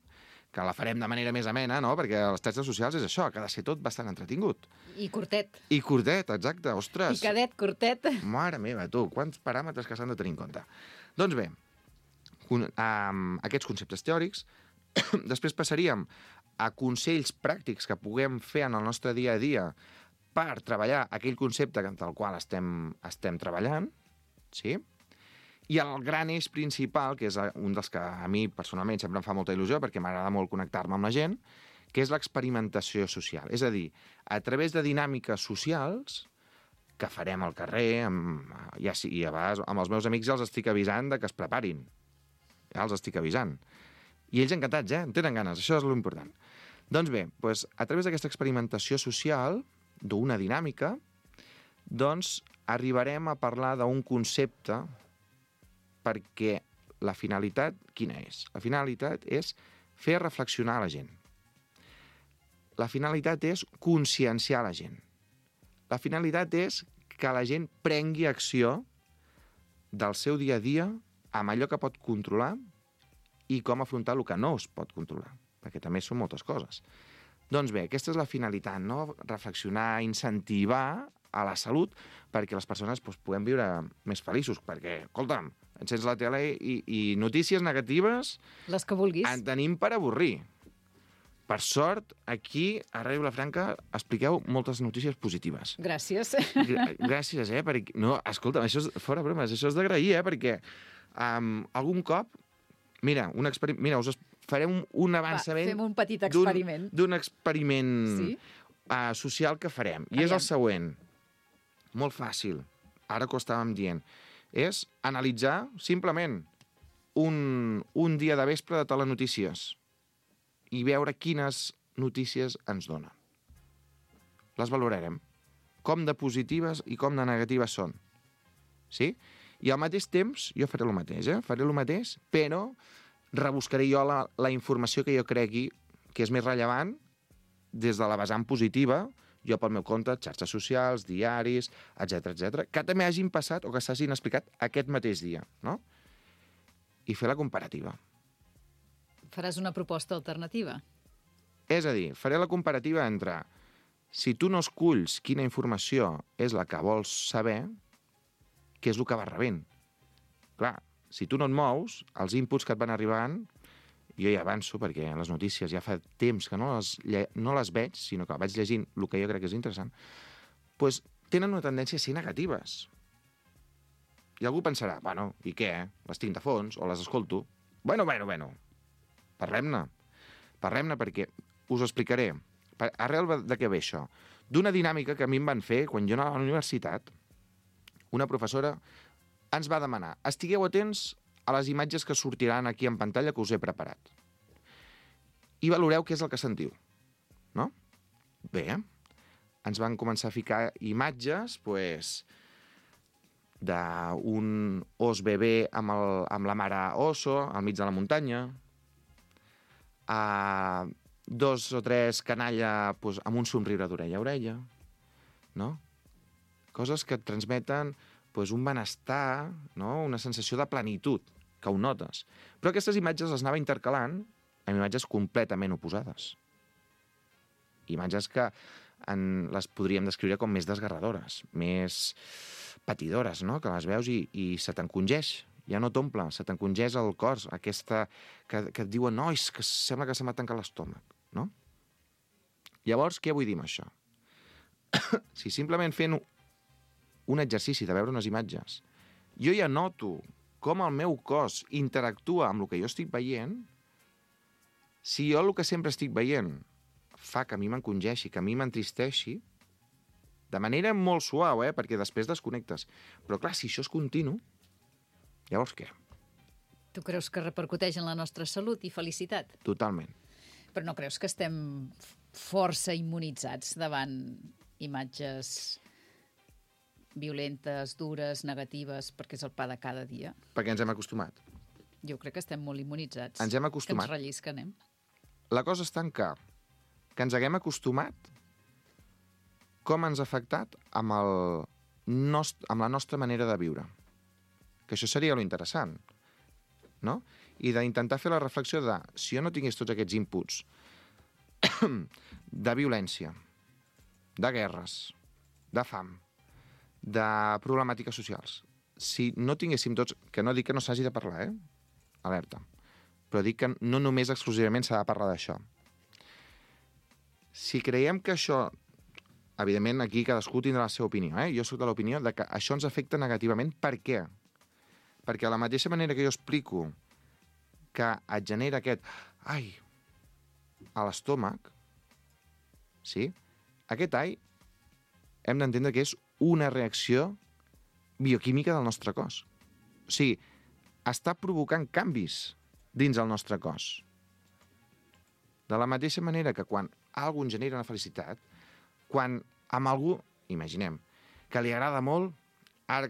que la farem de manera més amena, no? Perquè els xarxes socials és això, que ha de ser tot bastant entretingut. I curtet. I curtet, exacte, ostres. I cadet, curtet. Mare meva, tu, quants paràmetres que s'han de tenir en compte. Doncs bé, aquests conceptes teòrics, després passaríem a consells pràctics que puguem fer en el nostre dia a dia per treballar aquell concepte del qual estem treballant, sí? I el gran eix principal, que és un dels que a mi personalment sempre em fa molta il·lusió perquè m'agrada molt connectar-me amb la gent, que és l'experimentació social. És a dir, a través de dinàmiques socials que farem al carrer, i a vegades amb els meus amics ja els estic avisant que es preparin. Ja els estic avisant. I ells encantats, en tenen ganes, això és l'important. Doncs bé, a través d'aquesta experimentació social, d'una dinàmica, doncs arribarem a parlar d'un concepte perquè la finalitat, quina és? La finalitat és fer reflexionar la gent. La finalitat és conscienciar la gent. La finalitat és que la gent prengui acció del seu dia a dia amb allò que pot controlar i com afrontar el que no es pot controlar, perquè també són moltes coses. Doncs bé, aquesta és la finalitat, no? Reflexionar, incentivar a la salut perquè les persones puguem viure més feliços, perquè, escolta'm, encens la tele i notícies negatives... Les que vulguis. En tenim per avorrir. Per sort, aquí, a Ràdio Vilafranca, expliqueu moltes notícies positives. Gràcies. Gràcies, perquè... No, escolta'm, això és fora bromes, això és d'agrair, perquè algun cop... Mira, us farem un avançament... Va, fem un petit experiment. D'un experiment social que farem. I és el següent. Molt fàcil. Ara que ho estàvem dient. És analitzar, simplement, un dia de vespre de telenotícies i veure quines notícies ens donen. Les valorarem. Com de positives i com de negatives són. Sí? I al mateix temps, jo faré el mateix, Faré el mateix, però rebuscaré jo la informació que jo cregui que és més rellevant des de la vessant positiva, jo pel meu compte, xarxes socials, diaris, etc, que també hagin passat o que s'hagin explicat aquest mateix dia, no? I fer la comparativa. Faràs una proposta alternativa? És a dir, faré la comparativa entre si tu no esculls quina informació és la que vols saber, què és el que vas rebent. Clar, si tu no et mous, els inputs que et van arribant, jo ja avanço, perquè les notícies ja fa temps que no les veig, sinó que vaig llegint el que jo crec que és interessant, doncs tenen una tendència a ser negatives. I algú pensarà, bueno, i què? Les tinc de fons o les escolto? Bueno. Parlem-ne. Parlem-ne perquè us ho explicaré. Arrel de què ve això? D'una dinàmica que a mi em van fer quan jo anava a la universitat. Una professora ens va demanar: estigueu atents a les imatges que sortiran aquí en pantalla que us he preparat. I valoreu què és el que sentiu. No? Bé, ens van començar a ficar imatges, doncs, d'un os bebè amb la mare oso al mig de la muntanya, a 2 o 3 canalla doncs, amb un somriure d'orella a orella, no? Coses que et transmeten doncs, un benestar, no? Una sensació de plenitud, que ho notes. Però aquestes imatges les anava intercalant amb imatges completament oposades. Imatges que les podríem descriure com més desgarradores, més patidores, no? Que les veus i se t'encongeix, ja no t'omple, se t'encongeix el cor, aquesta que et diuen, no, és que sembla que se m'ha tancat l'estómac, no? Llavors, què vull dir amb això? Si simplement fent un exercici de veure unes imatges, jo ja noto com el meu cos interactua amb el que jo estic veient, si jo el que sempre estic veient fa que a mi m'encongeixi, que a mi m'entristeixi, de manera molt suau, perquè després desconnectes. Però clar, si això és continu, llavors què? Tu creus que repercuteix en la nostra salut i felicitat? Totalment. Però no creus que estem força immunitzats davant imatges violentes, dures, negatives, perquè és el pa de cada dia? Perquè ens hem acostumat. Jo crec que estem molt immunitzats. Ens hem acostumat. Que ens rellisquen, La cosa està en que ens haguem acostumat com ens ha afectat amb la nostra manera de viure. Que això seria lo interessant, no? I d'intentar fer la reflexió de, si jo no tingués tots aquests inputs de violència, de guerres, de fam, de problemàtiques socials, si no tinguéssim tots, que no dic que no s'hagi de parlar, alerta, però dic que no només exclusivament s'ha de parlar d'això. Si creiem que això, evidentment aquí cadascú tindrà la seva opinió, jo soc de l'opinió de que això ens afecta negativament. Per què? Perquè de la mateixa manera que jo explico que et genera aquest ai a l'estómac, sí? Aquest ai hem d'entendre que és una reacció bioquímica del nostre cos. O sigui, està provocant canvis dins el nostre cos. De la mateixa manera que quan algú ens genera una felicitat, quan amb algú, imaginem, que li agrada molt, ara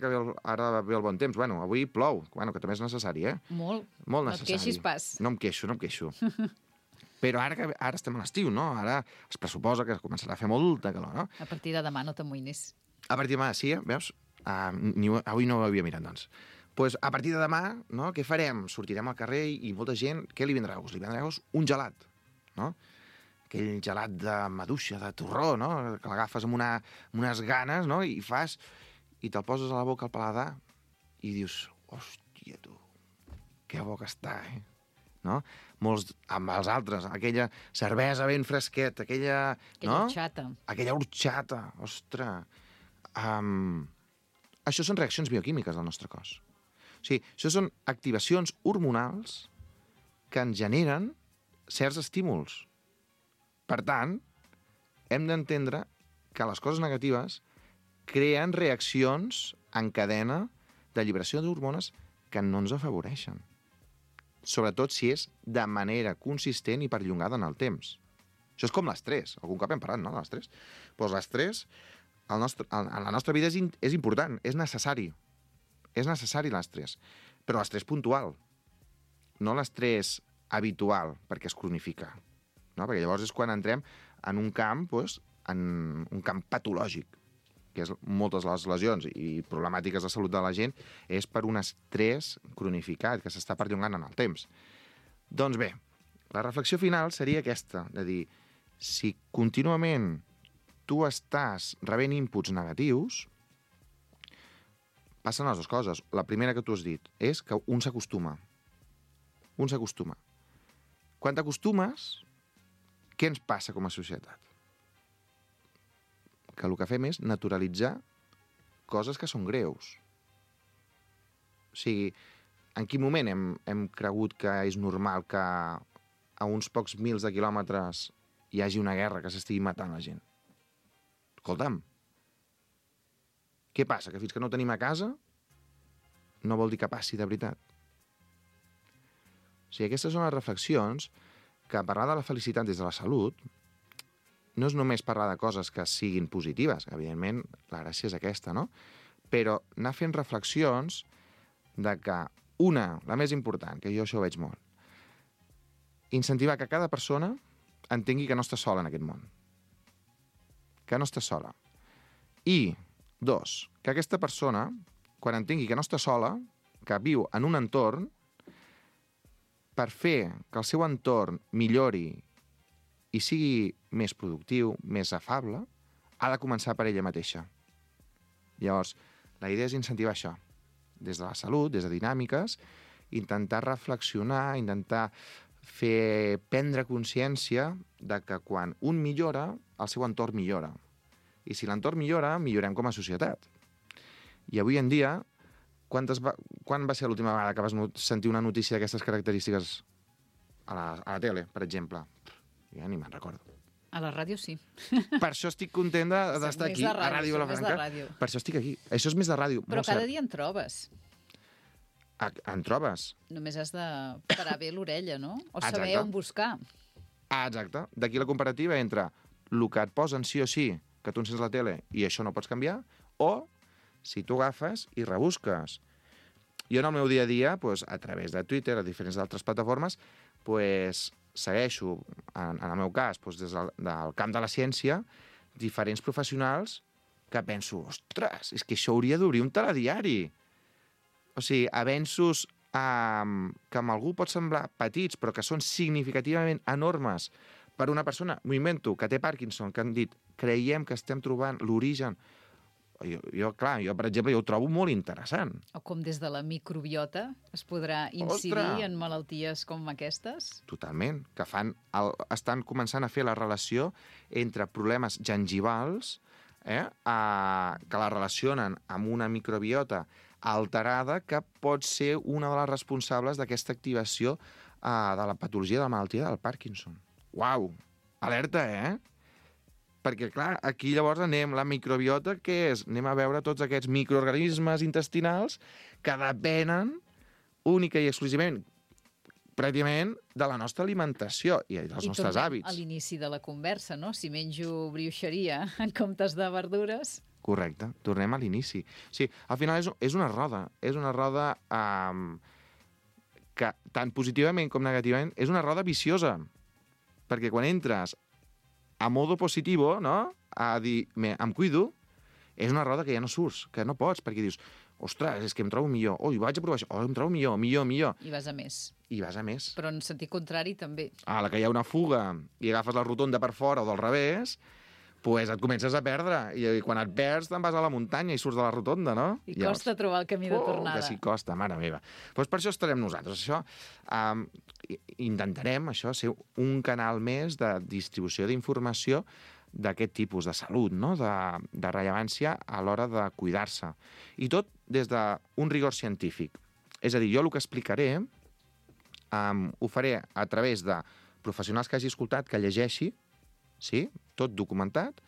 ve el bon temps, bueno, avui plou, bueno, que també és necessari, Molt. Molt necessari. No et queixis pas. No em queixo. Però ara estem a l'estiu, no? Ara es pressuposa que començarà a fer molta calor, no? A partir de demà no t'amoïnis. A partir de demà, sí, veus? Avui no ho havia mirat, doncs. Pues a partir de demà, no? Què farem? Sortirem al carrer i molta gent, què li vindrà a gust? Li vindrà a gust un gelat, no? Aquell gelat de maduixa, de torró, no? Que l'agafes amb unes ganes, no? I te'l poses a la boca al paladar i dius, hòstia, tu, que bo que està, no? Molts amb els altres, aquella cervesa ben fresqueta, aquella horxata. Aquella horxata, ostres. Això són reaccions bioquímiques del nostre cos. O sigui, això són activacions hormonals que ens generen certs estímuls. Per tant, hem d'entendre que les coses negatives creen reaccions en cadena d'alliberació d'hormones que no ens afavoreixen. Sobretot si és de manera consistent i perllongada en el temps. Això és com l'estrès. Algun cop hem parlat, no?, de l'estrès. Doncs l'estrès en la nostra vida és important, és necessari. És necessari l'estrès. Però l'estrès puntual, no l'estrès habitual, perquè es cronifica. No? Perquè llavors és quan entrem en un camp, en un camp patològic, que és moltes de les lesions i problemàtiques de salut de la gent, és per un estrès cronificat, que s'està perllongant en el temps. Doncs bé, la reflexió final seria aquesta, de dir, si contínuament tu estàs rebent inputs negatius, passen les dues coses. La primera que tu has dit és que un s'acostuma. Un s'acostuma. Quan t'acostumes, què ens passa com a societat? Que el que fem és naturalitzar coses que són greus. O sigui, en quin moment hem cregut que és normal que a uns pocs mils de quilòmetres hi hagi una guerra, que s'estigui matant la gent. Escolta'm, què passa? Que fins que no ho tenim a casa no vol dir que passi de veritat. O sigui, aquestes són les reflexions que parlar de la felicitat des de la salut no és només parlar de coses que siguin positives, evidentment la gràcia és aquesta, no? Però anar fent reflexions de que una, la més important, que jo això ho veig molt, incentivar que cada persona entengui que no està sola en aquest món. Que no està sola. I, dos, que aquesta persona, quan entengui que no està sola, que viu en un entorn, per fer que el seu entorn millori i sigui més productiu, més afable, ha de començar per ella mateixa. Llavors, la idea és incentivar això. Des de la salut, des de dinàmiques, intentar reflexionar, intentar prendre consciència de que quan un millora, el seu entorn millora. I si l'entorn millora, millorem com a societat. I avui en dia, quan va ser l'última vegada que vas sentir una notícia d'aquestes característiques a la tele, per exemple? Ja ni me'n recordo. A la ràdio sí. Per això estic content d'estar aquí, a Ràdio Vilafranca. Per això estic aquí. Això és més de ràdio. Però cada dia en trobes. En trobes? Només has de parar bé l'orella, no? O saber on buscar. Exacte. D'aquí la comparativa entre el que et posen sí o sí, que tu encens la tele i això no pots canviar, o si tu agafes i rebusques. Jo en el meu dia a dia, a través de Twitter, a diferents altres plataformes, segueixo, en el meu cas, des del camp de la ciència, diferents professionals que penso, ostres, és que això hauria d'obrir un telediari. O sigui, avenços que amb algú pot semblar petits, però que són significativament enormes per una persona, m'ho invento, que té Parkinson, que han dit, creiem que estem trobant l'origen. Jo, per exemple, jo ho trobo molt interessant. O com des de la microbiota es podrà incidir en malalties com aquestes? Totalment, que estan començant a fer la relació entre problemes gengivals que la relacionen amb una microbiota alterada que pot ser una de les responsables d'aquesta activació de la patologia de la malaltia del Parkinson. Uau! Alerta, Perquè, clar, aquí llavors la microbiota, què és? Anem a veure tots aquests microorganismes intestinals que depenen única i exclusivament, pràcticament, de la nostra alimentació i dels nostres hàbits. A l'inici de la conversa, no? Si menjo brioixeria en comptes de verdures... Correcte, tornem a l'inici. Sí, al final és una roda. És una roda que, tant positivament com negativament, és una roda viciosa. Perquè quan entres a modo positivo, no?, a dir, em cuido, és una roda que ja no surts, que no pots, perquè dius, ostres, és que em trobo millor, vaig a provar això, em trobo millor. I vas a més. Però en sentit contrari també. A la que hi ha una fuga i agafes la rotonda per fora o del revés, et comences a perdre. I quan et perds te'n vas a la muntanya i surts de la rotonda, no? I costa trobar el camí de tornada. Que sí, costa, mare meva. Per això estarem nosaltres. Intentarem ser un canal més de distribució d'informació d'aquest tipus de salut, no? De rellevància a l'hora de cuidar-se. I tot des d'un rigor científic. És a dir, jo el que explicaré ho faré a través de professionals que hagi escoltat, que llegeixi, sí, tot documentat,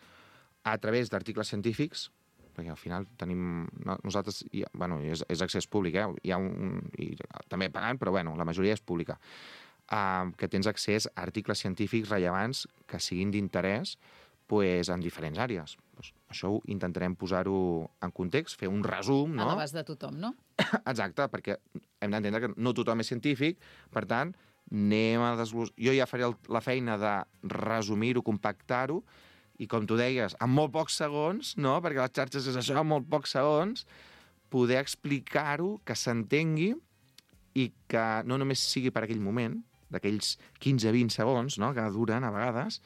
a través d'articles científics, perquè al final tenim... Nosaltres, és accés públic, hi ha també pagant, però la majoria és pública, que tens accés a articles científics rellevants que siguin d'interès en diferents àrees. Això intentarem posar-ho en context, fer un resum, no? A l'abast de tothom, no? Exacte, perquè hem d'entendre que no tothom és científic, per tant, jo ja faré la feina de resumir-ho, compactar-ho, i com tu deies, en molt pocs segons, no? Perquè les xarxes és això, en molt pocs segons, poder explicar-ho, que s'entengui, i que no només sigui per aquell moment, d'aquells 15-20 segons, no?, que duren a vegades,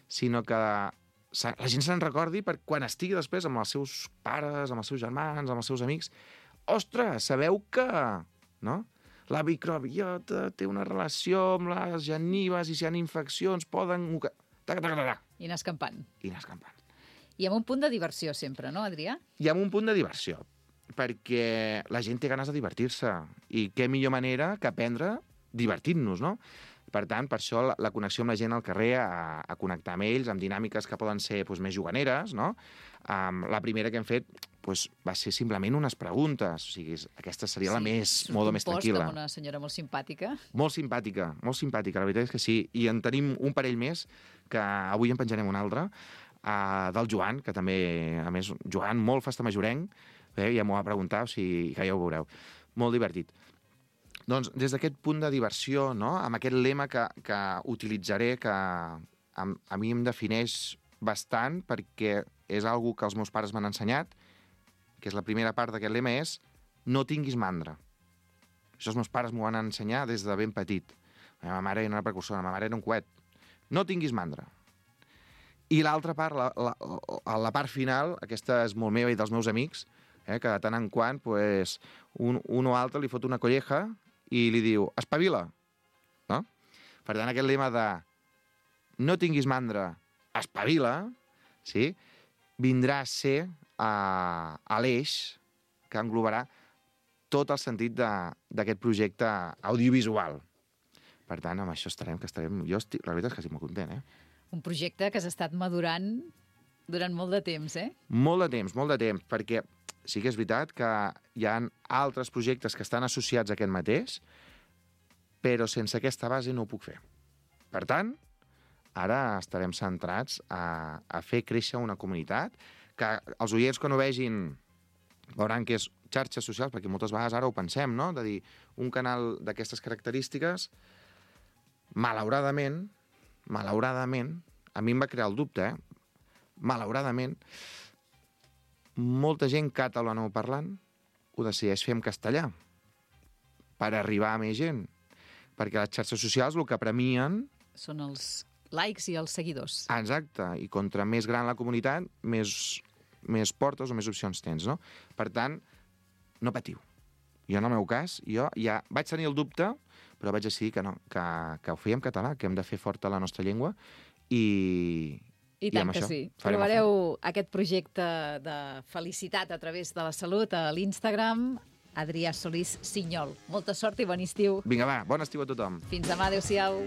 sinó que la gent se'n recordi per quan estigui després amb els seus pares, amb els seus germans, amb els seus amics. Ostres, sabeu que... no? La microbiota té una relació amb les genives i si hi ha infeccions poden... I anar escampant. I amb un punt de diversió sempre, no, Adrià? I amb un punt de diversió, perquè la gent té ganes de divertir-se i què millor manera que aprendre divertint-nos, no? Per tant, per això la connexió amb la gent al carrer, a connectar amb ells, amb dinàmiques que poden ser més juganeres, no? La primera que hem fet va ser simplement unes preguntes. O sigui, aquesta seria la més tranquil·la. Amb una senyora molt simpàtica. Molt simpàtica, la veritat és que sí. I en tenim un parell més, que avui en penjarem un altre, del Joan, que també, a més, Joan, molt festamajorenc, ja m'ho va preguntar, o sigui, que ja ho veureu. Molt divertit. Doncs des d'aquest punt de diversió, no? Amb aquest lema que utilitzaré, que a mi em defineix bastant, perquè és algo que els meus pares m'han ensenyat, que és la primera part d'aquest lema, és no tinguis mandra. Això els meus pares m'ho van ensenyar des de ben petit. La meva mare era una precursora, la meva mare era un coet. No tinguis mandra. I l'altra part, la part final, aquesta és molt meva i dels meus amics, que de tant en quant un o altre li fot una colleja i li diu, espavila. No? Per tant, aquest lema de no tinguis mandra, espavila, sí? Vindrà a ser a l'eix que englobarà tot el sentit d'aquest projecte audiovisual. Per tant, amb això estarem... Jo la veritat és que estic molt content, Un projecte que has estat madurant durant molt de temps, Molt de temps, perquè sí que és veritat que hi ha altres projectes que estan associats a aquest mateix, però sense aquesta base no ho puc fer. Per tant, ara estarem centrats a fer créixer una comunitat, que els oients quan ho vegin veuran que és xarxes socials, perquè moltes vegades ara ho pensem, no? De dir, un canal d'aquestes característiques, malauradament, a mi em va crear el dubte, malauradament, molta gent catalanoparlant ho decideix fer en castellà per arribar a més gent. Perquè les xarxes socials el que premien... Són els likes i els seguidors. Exacte, i contra més gran la comunitat, més portes o més opcions tens, no? Per tant, no patiu. Jo, en el meu cas, jo ja vaig tenir el dubte, però vaig decidir que no, que ho fèiem en català, que hem de fer forta la nostra llengua, i tant que sí. Trobareu aquest projecte de felicitat a través de la salut a l'Instagram, Adrià Solís Sinyol. Molta sort i bon estiu. Vinga, va, bon estiu a tothom. Fins demà, adéu-siau.